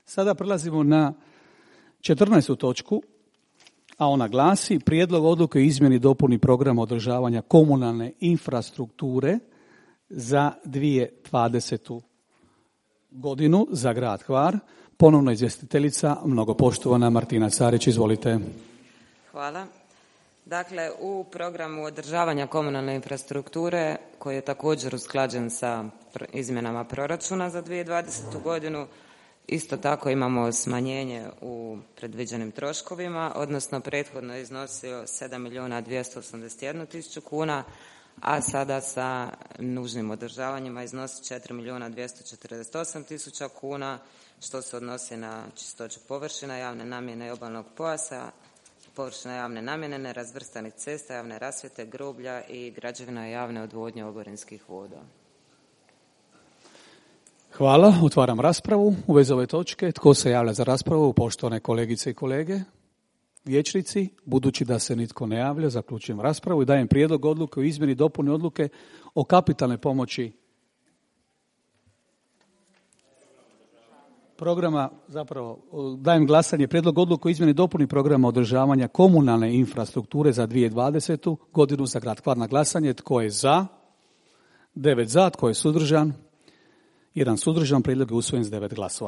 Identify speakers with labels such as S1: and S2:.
S1: Sada prelazimo na 14. točku, a ona glasi Prijedlog odluke o izmjeni i dopuni programa održavanja komunalne infrastrukture za 2020. godinu za grad Hvar. Ponovno izvjestiteljica, mnogopoštovana Martina Carić, izvolite.
S2: Hvala. Dakle, u programu održavanja komunalne infrastrukture, koji je također usklađen sa izmjenama proračuna za 2020. godinu, isto tako imamo smanjenje u predviđenim troškovima, odnosno prethodno je iznosio 7.281.000 kuna, a sada sa nužnim održavanjima iznosi 4.248.000 kuna, što se odnosi na čistoću površina javne namjene i obalnog pojasa, površina javne namjene, nerazvrstanih cesta, javne rasvjete, groblja i građevina javne odvodnje oborinskih voda.
S1: Hvala. Otvaram raspravu u vezi ove točke. Tko se javlja za raspravu? Poštovane kolegice i kolege, vijećnici. Budući da se nitko ne javlja, zaključujem raspravu i dajem prijedlog odluke o izmjeni i dopuni odluke o kapitalnoj pomoći programa, dajem glasanje prijedlog odluke o izmjeni i dopuni programa održavanja komunalne infrastrukture za 2020. godinu za grad Hvar. Na glasanje. Tko je za? 9 za. Tko je suzdržan? 1 suzdržan. Prijedlog je usvojen s 9 glasova.